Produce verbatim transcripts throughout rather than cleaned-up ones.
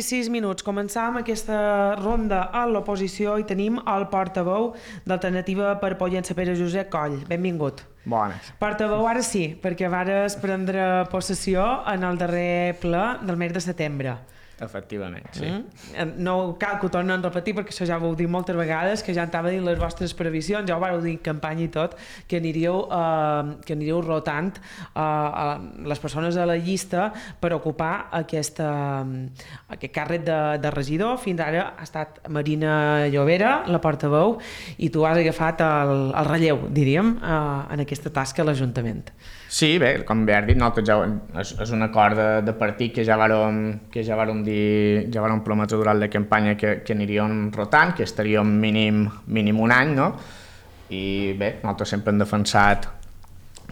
sis minuts. Començàvem aquesta ronda a l'oposició i tenim el portaveu d'Alternativa per Pollença, Pere Josep Coll. Benvingut. Bones. Portaveu, ara sí, perquè vares prendre possessió en el darrer ple del mes de setembre. Efectivament, sí. Mm? No cal que ho tornem a repetir perquè això ja ho heu dit moltes vegades, que ja estava dins les vostres previsions, ja ho vau dir en campanya i tot, que aniríeu, eh, que aniríeu rotant eh, a les persones a la llista per ocupar aquesta, aquest càrrec de, de regidor. Fins ara ha estat Marina Llobera, la portaveu, i tu has agafat el, el relleu, diríem, eh, en aquesta tasca a l'Ajuntament. Sí, bé, com bé has dit, nosaltres ja, és, és un acord de, de partit que ja vàrem, que ja vàrem dir, ja vàrem prometre durant la campanya que, que aniríem rotant, que estaríem mínim, mínim un any, no? I bé, nosaltres sempre hem defensat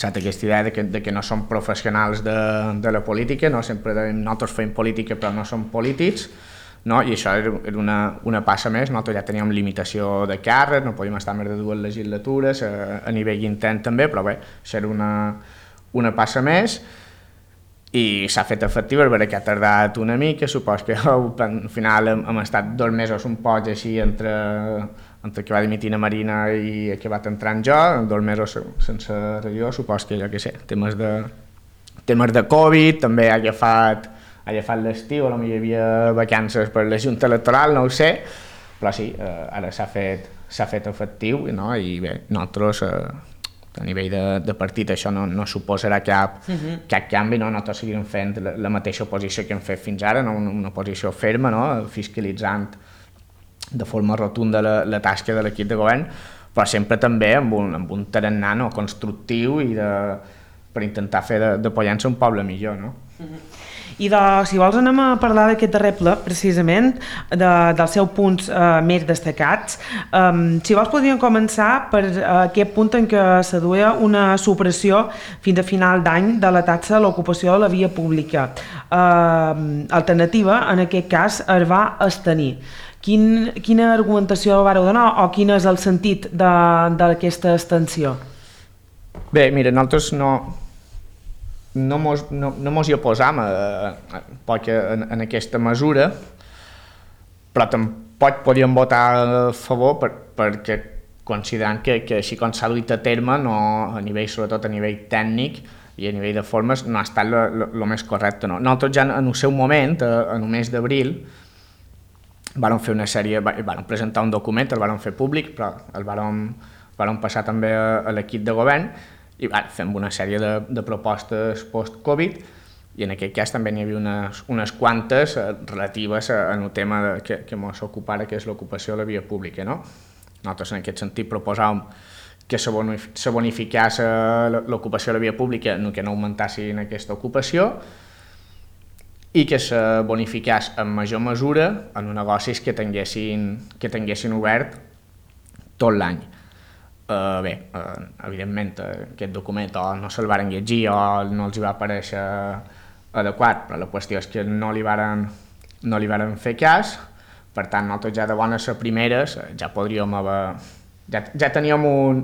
aquesta idea de que, de que no som professionals de, de la política, no? Sempre dèiem, nosaltres fem política però no som polítics, no? I això era una, una passa més. Nosaltres ja teníem limitació de càrrec, no podíem estar més de dues legislatures, a, a nivell intern també, però bé, això era una, una passa més i s'ha fet efectiu, és veritat que ha tardat una mica, supos que al final hem, hem estat dos mesos un poc així entre, entre que va dimitir la Marina i que va entrar en jo, dos mesos sense regidor, supos que jo què sé, temes de, temes de Covid, també ha agafat, ha agafat l'estiu, potser hi havia vacances per la Junta Electoral, no ho sé, però sí, eh, ara s'ha fet, s'ha fet efectiu, no? I bé, nosaltres eh, a nivell de, de partit això no, no suposarà cap, uh-huh. cap canvi, no? Nosaltres seguirem fent la, la mateixa oposició que hem fet fins ara, no? una, una oposició ferma, no? Fiscalitzant de forma rotunda la, la tasca de l'equip de govern, però sempre també amb un, amb un tarannà, no? Constructiu i de, per intentar fer de, de Pollença un poble millor. No? Uh-huh. I de, si vols anem a parlar d'aquest darrer ple, precisament, de, dels seus punts eh, més destacats. Um, si vols podríem començar per uh, aquest punt en què s'aduia una supressió fins a final d'any de la taxa a l'ocupació de la via pública. Uh, alternativa, en aquest cas, es va abstenir. Quin, quina argumentació vareu donar o quin és el sentit d'aquesta abstenció? Bé, mira, nosaltres no... no mos, no, no mos hi oposam a, a, en, en aquesta mesura, però tampoc podíem votar a favor per, perquè considerant que, que així com s'ha duit a terme, no, a nivell, sobretot a nivell tècnic i a nivell de formes, no ha estat el més correcte. No. Nosaltres ja en el seu moment, en el mes d'abril, vàrem fer una sèrie, vàrem presentar un document, el vàrem fer públic, però el vàrem, vàrem passar també a, a l'equip de govern, i bueno, fem una sèrie de, de propostes post-Covid i en aquest cas també n'hi havia unes, unes quantes eh, relatives al tema de, que, que ens ocupara, que és l'ocupació de la via pública. No? Nosaltres en aquest sentit proposàvem que se, bonif se bonificés l'ocupació de la via pública, no que no augmentassin aquesta ocupació i que se bonificés en major mesura en negocis que tinguessin, que tinguessin obert tot l'any. Uh, bé, uh, evidentment uh, aquest document o no se'l varen llegir o no els hi va aparèixer adequat, però la qüestió és que no li varen, no li varen fer cas, per tant nosaltres ja de bones a primeres ja podríem haver, ja, ja teníem un,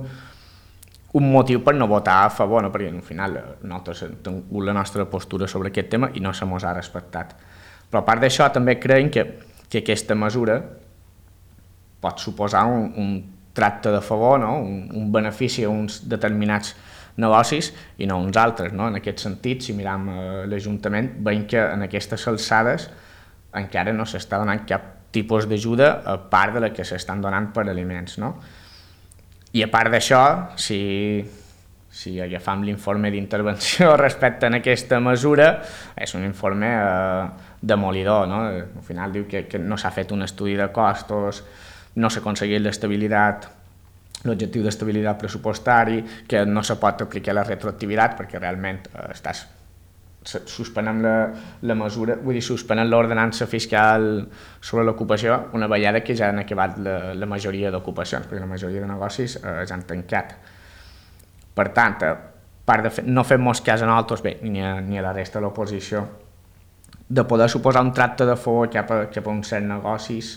un motiu per no votar a favor, no? Perquè al final nosaltres hem tingut la nostra postura sobre aquest tema i no se mos ha respectat. Però a part d'això també creiem que, que aquesta mesura pot suposar un, un tracte de favor, no? un, un benefici a uns determinats negocis i no a uns altres. No? En aquest sentit, si miram eh, l'Ajuntament, veiem que en aquestes alçades encara no s'està donant cap tipus d'ajuda a part de la que s'estan donant per aliments. No? I a part d'això, si, si agafam l'informe d'intervenció respecte a aquesta mesura, és un informe eh, demolidor. No? Al final diu que, que no s'ha fet un estudi de costos, no s'ha aconseguit l'estabilitat, l'objectiu d'estabilitat pressupostari, que no se pot aplicar la retroactivitat perquè realment eh, estàs suspenent la, la mesura, vull dir, suspenent l'ordenança fiscal sobre l'ocupació una vegada que ja han acabat la, la majoria d'ocupacions, perquè la majoria de negocis eh, ja han tancat. Per tant, a part de fer, no fem-nos cas a nosaltres, bé, ni a, ni a la resta de l'oposició, de poder suposar un tracte de favor cap a, cap a uns certs negocis,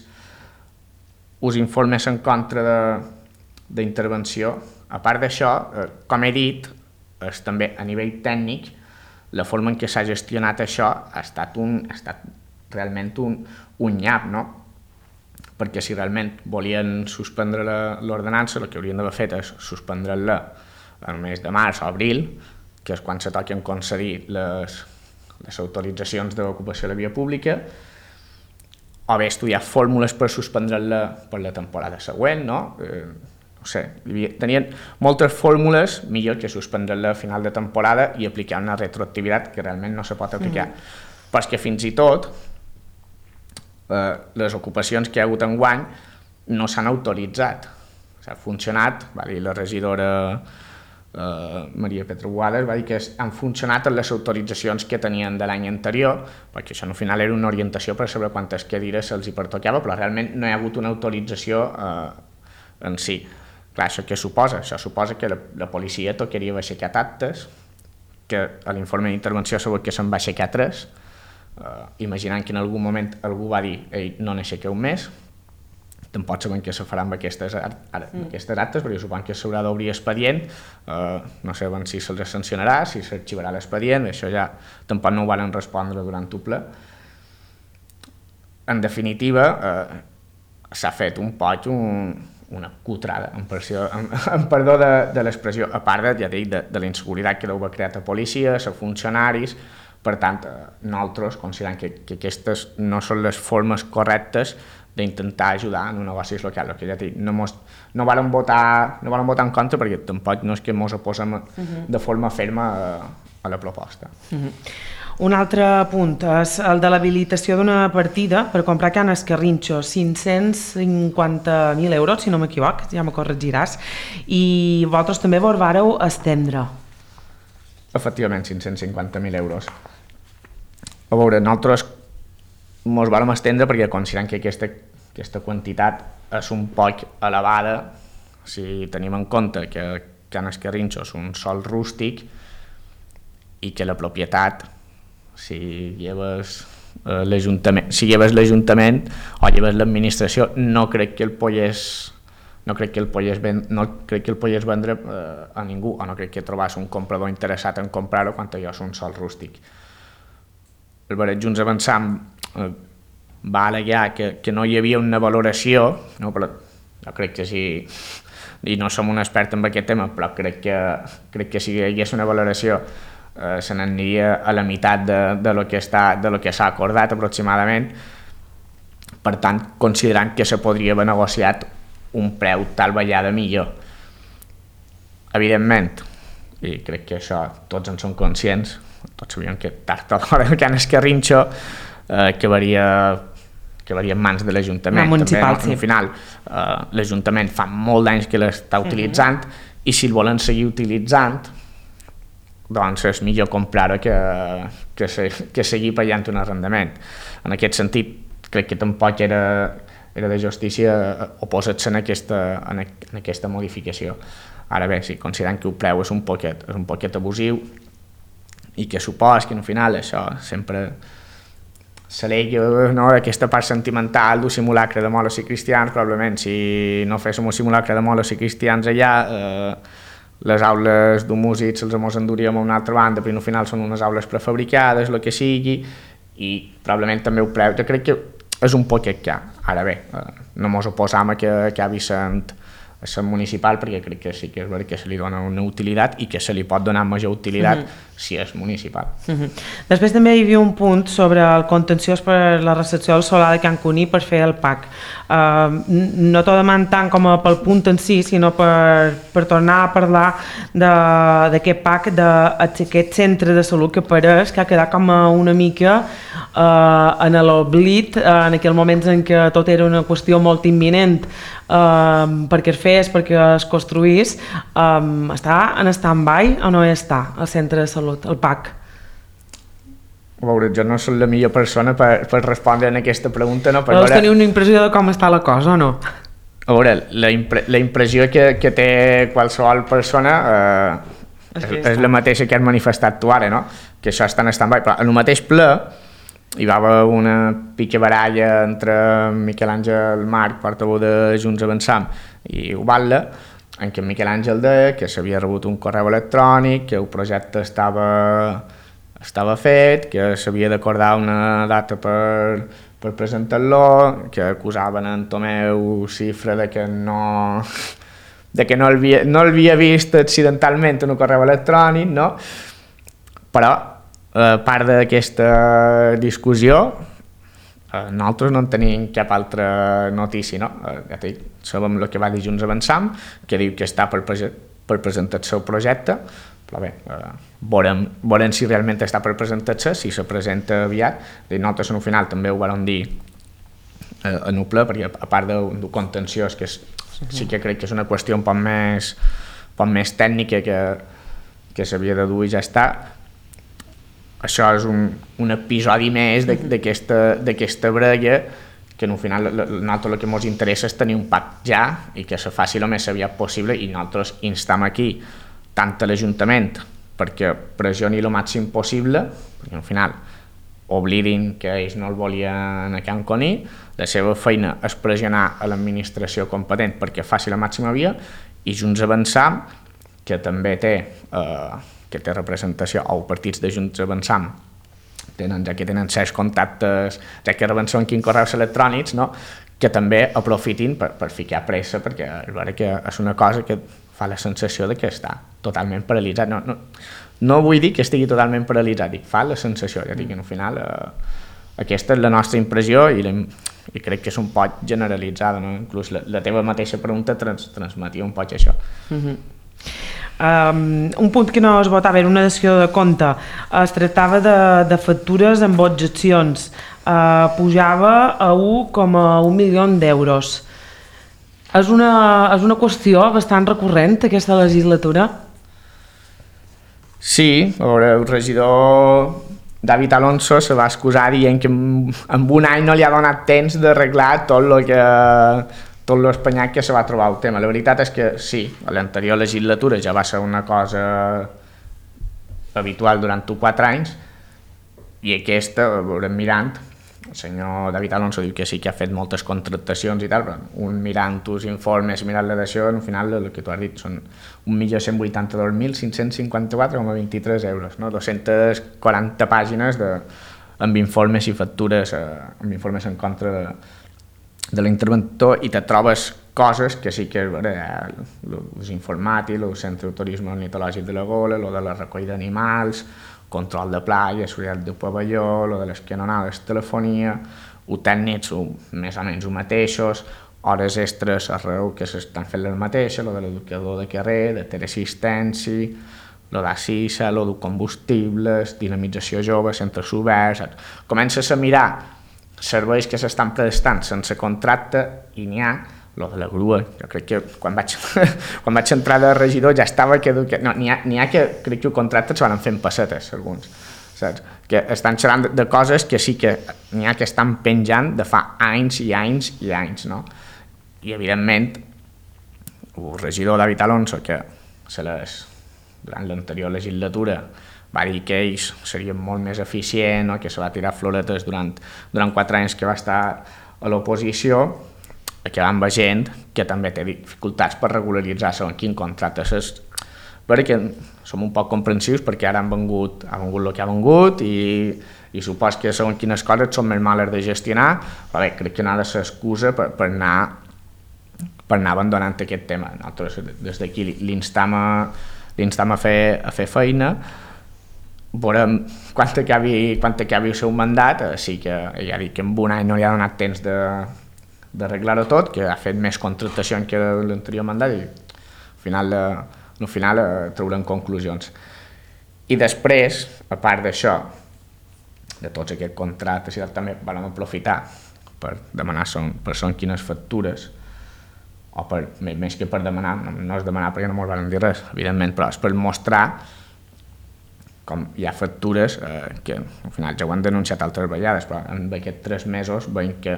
us informes en contra d'intervenció. A part d'això, eh, com he dit, és també a nivell tècnic, la forma en què s'ha gestionat això ha estat, un, ha estat realment un, un nyap, no? Perquè si realment volien suspendre l'ordenança, el que haurien d'haver fet és suspendre-la el mes de març o abril, que és quan se toquen concedir les, les autoritzacions d'ocupació de la via pública, o bé estudiar fórmules per suspendre-la per la temporada següent, no? Eh, no sé, tenien moltes fórmules, millor que suspendre-la a final de temporada i aplicar una retroactivitat que realment no se pot aplicar. Mm. Però és que fins i tot eh, les ocupacions que hi ha hagut enguany no s'han autoritzat. S'ha funcionat, va dir la regidora Uh, Maria Petra Boades, va dir que han funcionat les autoritzacions que tenien de l'any anterior, perquè això al final era una orientació per saber quantes cadires se'ls hi pertocava, però realment no hi ha hagut una autorització uh, en si. Clar, això què suposa? Això suposa que la, la policia tocaria aixecar actes, que a l'informe d'intervenció s'ha que se'n va aixecar tres, uh, imaginant que en algun moment algú va dir ei, no n'aixequeu més, tampoc sabem què se farà amb aquestes, ara, amb aquestes actes, perquè suposo que s'haurà d'obrir expedient, eh, no sabem si se'ls sancionarà, si s'arxivarà l'expedient, això ja tampoc no ho van respondre durant el ple. En definitiva, eh, s'ha fet un poc un, una cutrada, en, pressió, en, en perdó de, de l'expressió, a part de, ja dic, de, de la inseguretat que deu haver creat a policia, a funcionaris. Per tant, eh, nosaltres considerem que, que aquestes no són les formes correctes d'intentar ajudar en un negoci local. Que ja dic, no, mos, no varen votar, no varen votar en contra perquè tampoc no és que ens oposem uh -huh. de forma ferma a, a la proposta. Uh -huh. Un altre punt és el de l'habilitació d'una partida per comprar Can Escarrinxo, cinc-cents cinquanta mil euros, si no m'equivoc, ja me corregiràs, i vosaltres també vos vareu estendre. Efectivament, cinc-cents cinquanta mil euros. A veure, nosaltres ens vam estendre perquè considerem que aquesta, aquesta quantitat és un poc elevada si tenim en compte que Can Escarrinxo és un sòl rústic i que la propietat, si lleves eh, l'Ajuntament, si lleves l'Ajuntament o lleves l'administració, no crec que el pogués no crec que el pogués, ven, no crec que el pogués vendre eh, a ningú, o no crec que trobés un comprador interessat en comprar-ho quan allò és un sòl rústic. El Barret Junts Avançant eh, va al·legar que, que no hi havia una valoració, no, però jo crec que sí, i no som un expert en aquest tema, però crec que, crec que si hi hagués una valoració eh, se n'aniria a la meitat de, de lo que està, de lo que s'ha acordat aproximadament. Per tant, considerant que se podria haver negociat un preu tal vegada millor. Evidentment, i crec que això tots en som conscients, tots sabíem que tard o d'hora el Can Escarrinxo eh, acabaria, acabaria en mans de l'Ajuntament. Municipal, també, no? sí. Al final, eh, l'Ajuntament fa molt d'anys que l'està utilitzant uh -huh. i si el volen seguir utilitzant, doncs és millor comprar-ho que, que, se, que seguir pagant un arrendament. En aquest sentit, crec que tampoc era, era de justícia oposar-se en, aquesta, en, en aquesta modificació. Ara bé, si considerem que el preu és un poquet, és un poquet abusiu i que supos que al final això sempre s'alega, no, aquesta part sentimental d'un simulacre de molos i cristians, probablement si no féssim un simulacre de molos i cristians allà, eh, les aules d'un músic se'ls mos enduríem a una altra banda, però al final són unes aules prefabricades, el que sigui, i probablement també el preu, jo crec que és un poquet car. Ara bé, eh, no mos oposam a que acabi sent, sent municipal, perquè crec que sí que és veritat que se li dona una utilitat i que se li pot donar major utilitat uh-huh. si és municipal. Uh-huh. Després també hi havia un punt sobre el contenciós per la recepció del solar de Can Cuní per fer el P A C. Uh, no t'ho demano tant com a pel punt en si, sinó per, per tornar a parlar d'aquest P A C, d'aquest centre de salut que pareix que ha quedat com una mica uh, en l'oblit, uh, en aquells moments en què tot era una qüestió molt imminent uh, perquè es fes, perquè es construís. Um, està en stand-by o no està el centre de salut, el P A C? A veure, jo no soc la millor persona per, per respondre a aquesta pregunta, no? Per Vols veure... tenir una impressió de com està la cosa o no? A veure, la, impre la impressió que, que té qualsevol persona eh, és, és, és la mateixa que has manifestat tu ara, no? Que això està en stand-by, però en el mateix ple hi va haver una picabaralla entre Miquel Àngel Marc, portaveu de Junts Avançant, i Ubalda, en què Miquel Àngel deia que s'havia rebut un correu electrònic, que el projecte estava, estava fet, que s'havia d'acordar una data per, per presentar-lo, que acusaven en Tomeu Cifra de que no, de que no l'havia no l'havia vist accidentalment en un correu electrònic, no? Però, a part d'aquesta discussió, nosaltres no en tenim cap altra notícia, no? Ja dic, sabem el que va dir Junts Avançam, que diu que està per, per presentar el seu projecte, però bé, eh, veurem, veurem si realment està per presentar-se, si se presenta aviat. Nosaltres en un final també ho vam dir eh, en un ple, perquè a part d'un contenciós, que és, sí que crec que és una qüestió un poc més, un poc més tècnica que, que s'havia de dur i ja està, això és un, un episodi més d'aquesta brega, que en un final nosaltres el que ens interessa és tenir un pacte ja i que se faci el més aviat possible, i nosaltres instam aquí tant a l'Ajuntament perquè pressioni el màxim possible, perquè al final oblidin que ells no el volien a Can Coní, la seva feina és pressionar a l'administració competent perquè faci la màxima via, i Junts Avançam, que també té eh, que té representació, o partits de Junts Avançam, tenen, ja que tenen certs contactes, ja que reben són quins correus electrònics, no? Que també aprofitin per, per ficar pressa, perquè és vera que és una cosa que fa la sensació de que està totalment paralitzat. No, no, no vull dir que estigui totalment paralitzat, dic, fa la sensació, ja dic, que al final eh, aquesta és la nostra impressió i, la, i crec que és un poc generalitzada, no? Inclús la, la teva mateixa pregunta trans, transmetia un poc això. Mm-hmm. Um, un punt que no es votava era una dació de compte, es tractava de, de factures amb objeccions, uh, pujava a un coma un milió d'euros. És una, és una qüestió bastant recurrent aquesta legislatura? Sí, el regidor David Alonso se va excusar dient que en, en un any no li ha donat temps d'arreglar tot el que tot l'espanyat que se va trobar el tema. La veritat és que sí, a l'anterior legislatura ja va ser una cosa habitual durant quatre anys, i aquesta, veurem mirant, el senyor David Alonso diu que sí que ha fet moltes contractacions i tal, però un mirant els informes, mirant la dació, al final el que tu has dit són un milió cent vuitanta-dos mil cinc-cents cinquanta-quatre coma vint-i-tres euros, no? dos-centes quaranta pàgines de, amb informes i factures, eh, amb informes en contra de de l'interventor, i te trobes coses que sí que és vera, els informàtics, el centre de turisme ornitològic de la Gola, lo de la recollida d'animals, control de platja, seguretat de pavelló, lo de les canonades, telefonia, ho tècnics més o menys ho mateixos, hores extres arreu que s'estan fent les mateixes, lo de l'educador de carrer, de teleassistència, lo d'Assisa, lo de combustibles, dinamització jove, centres oberts, comences a mirar serveis que s'estan prestant sense contracte, i n'hi ha, lo de la grua, jo crec que quan vaig, quan vaig entrar de regidor ja estava que... No, n'hi ha, n'hi ha que crec que el contracte es van fent pessetes, alguns, saps? Que estan xerrant de, de coses que sí que n'hi ha que estan penjant de fa anys i anys i anys, no? I evidentment, el regidor David Alonso, que se les, durant l'anterior legislatura va dir que ells serien molt més eficients, no? Que se va tirar floretes durant, durant quatre anys que va estar a l'oposició, que van veient que també té dificultats per regularitzar segons quin contracte és, perquè som un poc comprensius perquè ara han vengut, ha vengut el que ha vengut i, i supos que segons quines coses són més males de gestionar, però bé, crec que no ha de ser excusa per, per anar per anar abandonant aquest tema. Nosaltres des d'aquí l'instam a, l'instam a, fer, a fer feina. Veurem quan acabi, quan acabi el seu mandat, sí que ja dic que en un any no li ha donat temps de, d'arreglar-ho tot, que ha fet més contractacions que l'anterior mandat, i al final, al final traurem conclusions. I després, a part d'això, de tots aquests contractes, també vam aprofitar per demanar son, per son quines factures, o per, més que per demanar, no, no és demanar perquè no ens van dir res, evidentment, però és per mostrar com hi ha factures eh, que al final ja ho han denunciat altres vegades, però en aquests tres mesos veiem que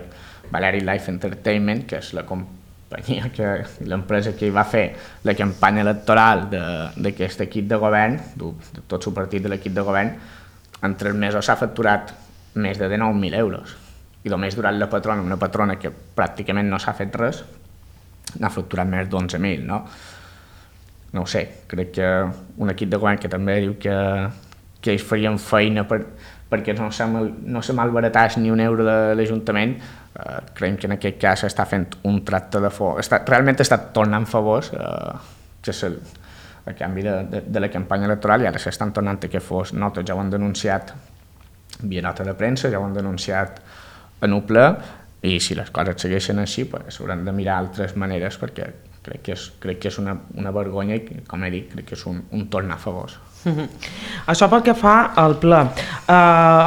Valeri Life Entertainment, que és la companyia, que l'empresa que hi va fer la campanya electoral d'aquest equip de govern, de, de tot el partit de l'equip de govern, en tres mesos s'ha facturat més de dinou mil euros. I només durant la patrona, una patrona que pràcticament no s'ha fet res, n'ha facturat més d'onze mil, no? No ho sé, crec que un equip de govern que també diu que, que ells farien feina per, perquè no se, mal, no se malbaratàs ni un euro de l'Ajuntament, eh, creiem que en aquest cas està fent un tracte de favor, està, realment està tornant favors, eh, que és el, a canvi de, de, de la campanya electoral, i ara s'estan tornant aquests favors. Nosaltres ja ho hem denunciat via nota de premsa, ja ho hem denunciat en un ple, i si les coses segueixen així, pues, hauran de mirar altres maneres, perquè crec que és, crec que és una, una vergonya i, com he dit, crec que és un, un tornar a favors. Mm-hmm. Això pel que fa al ple. Uh,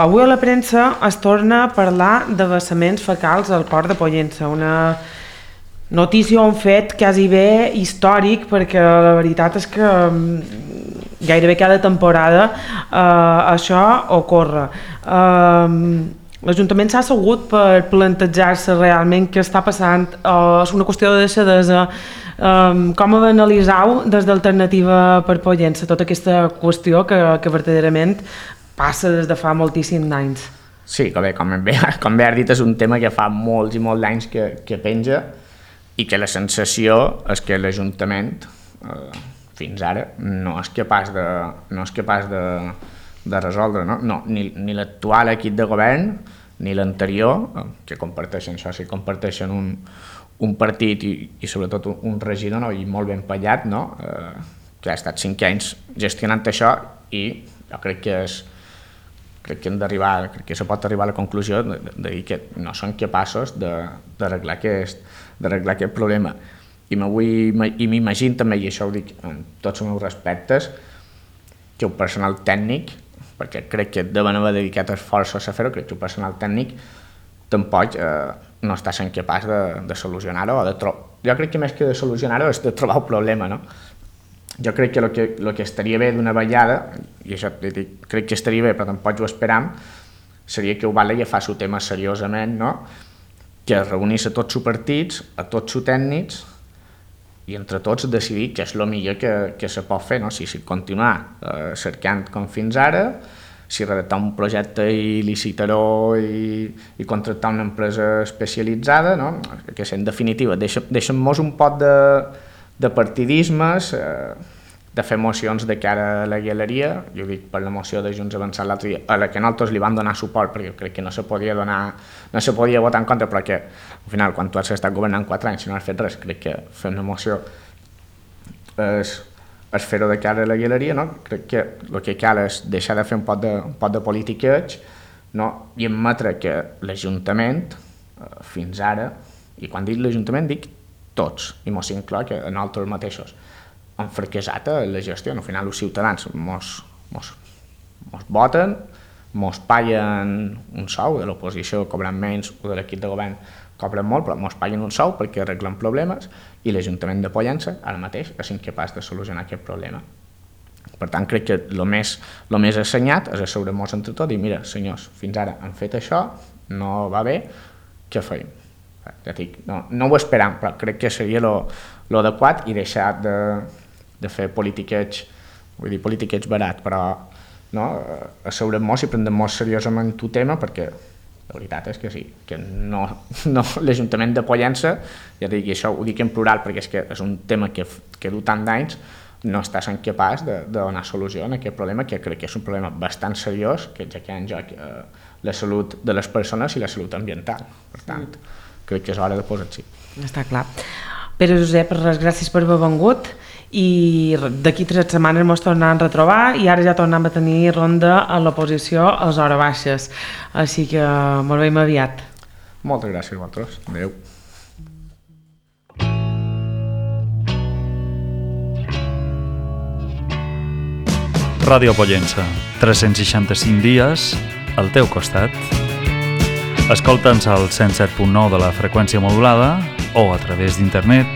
avui a la premsa es torna a parlar de vessaments fecals al port de Pollença, una notícia o un fet quasi bé històric, perquè la veritat és que gairebé cada temporada uh, això ocorre. Uh, L'Ajuntament s'ha assegut per plantejar-se realment què està passant, uh, és una qüestió de deixadesa. Um, com analitzau des d'Alternativa per Pollença tota aquesta qüestió que, que verdaderament passa des de fa moltíssims anys? Sí, com bé, com bé, com bé has dit, és un tema que fa molts i molts anys que, que penja, i que la sensació és que l'Ajuntament eh, fins ara no és capaç de, no és capaç de, de resoldre, no? No, ni, ni l'actual equip de govern ni l'anterior, que comparteixen això, sí, comparteixen un, un partit i, i sobretot un, un regidor, no? I molt ben pallat, no? eh, que ha estat cinc anys gestionant això, i jo crec que és crec que hem d'arribar, crec que se pot arribar a la conclusió de, de, de dir que no són capaços d'arreglar aquest, d'arreglar aquest problema. I m'imagino també, i això ho dic amb tots els meus respectes, que el personal tècnic, perquè crec que deuen haver dedicat esforços a fer-ho, crec que el personal tècnic tampoc eh, no està sent capaç de, de solucionar-ho, o de trobar. Jo crec que més que de solucionar-ho és de trobar el problema, no? Jo crec que el que, el que estaria bé d'una vegada, i això dic, crec que estaria bé, però tampoc ho esperam, seria que ho val agafar el tema seriosament, no? Que es reunís a tots els partits, a tots els tècnics, i entre tots decidir què és el millor que, que se pot fer, no? Si, si continuar eh, cercant com fins ara, si redactar un projecte i licitar-ho i, i contractar una empresa especialitzada, no? Que en definitiva deixem-nos un pot de, de partidismes, eh, de fer mocions de cara a la galeria. Jo dic per la moció de Junts Avançat l'altre dia, a la que nosaltres li vam donar suport, perquè crec que no se podia donar, no se podia votar en contra, però que al final quan tu has estat governant quatre anys i no has fet res, crec que fer una moció és, és fer-ho de cara a la galeria, no? Crec que el que cal és deixar de fer un pot de, un pot de politiqueig, no? I admetre que l'Ajuntament, eh, fins ara, i quan dic l'Ajuntament dic tots, i mos inclou que nosaltres mateixos, han fracassat a la gestió. Al final els ciutadans mos, mos, mos voten, mos paguen un sou, de l'oposició cobren menys, o de l'equip de govern cobren molt, però mos paguen un sou perquè arreglen problemes, i l'Ajuntament de Pollença ara mateix és incapaç de solucionar aquest problema. Per tant, crec que el més, el més assenyat és asseure-nos entre tots i mira, senyors, fins ara han fet això, no va bé, què feim? Ja dic, no, no ho esperam, però crec que seria l'adequat i deixar de, de fer politiqueig, vull dir politiqueig barat, però no, asseurem-nos i prendem-nos seriosament el tema, perquè la veritat és que sí, que no, no l'Ajuntament de Pollença, ja dic, i això ho dic en plural perquè és que és un tema que, que du tant d'anys, no està sent capaç de, de donar solució a aquest problema, que crec que és un problema bastant seriós, que ja que hi ha en joc eh, la salut de les persones i la salut ambiental. Per tant, crec que és hora de posar-s'hi. Està clar. Pere Josep, res, gràcies per haver vengut, i d'aquí tres setmanes ens tornem a retrobar, i ara ja tornem a tenir ronda a l'oposició als hores baixes, així que molt veiem aviat. Moltes gràcies a vosaltres. Adéu. Ràdio Pollença, tres-cents seixanta-cinc dies al teu costat. Escolta'ns al cent set punt nou de la freqüència modulada o a través d'internet